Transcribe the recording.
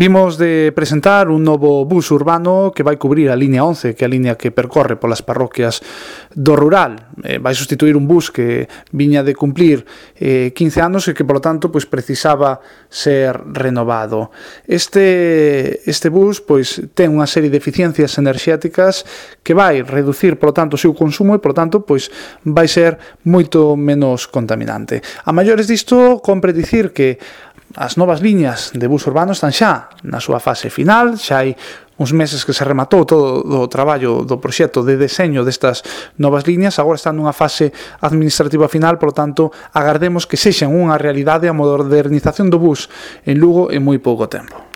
Vimos de presentar un novo bus urbano que vai cubrir a liña 11, que é a liña que percorre polas parroquias do rural. Vai sustituir un bus que viña de cumplir 15 anos e que, polo tanto, precisaba ser renovado. Este bus ten unha serie de eficiencias enerxéticas que vai reducir, polo tanto, o seu consumo e, polo tanto, vai ser moito menos contaminante. A maiores disto, compre dicir que as novas liñas de bus urbano están xa na súa fase final, xa hai uns meses que se rematou todo o traballo do proxecto de deseño destas novas liñas, agora están nunha fase administrativa final, por tanto, agardemos que sexan unha realidade a modernización do bus en Lugo en moi pouco tempo.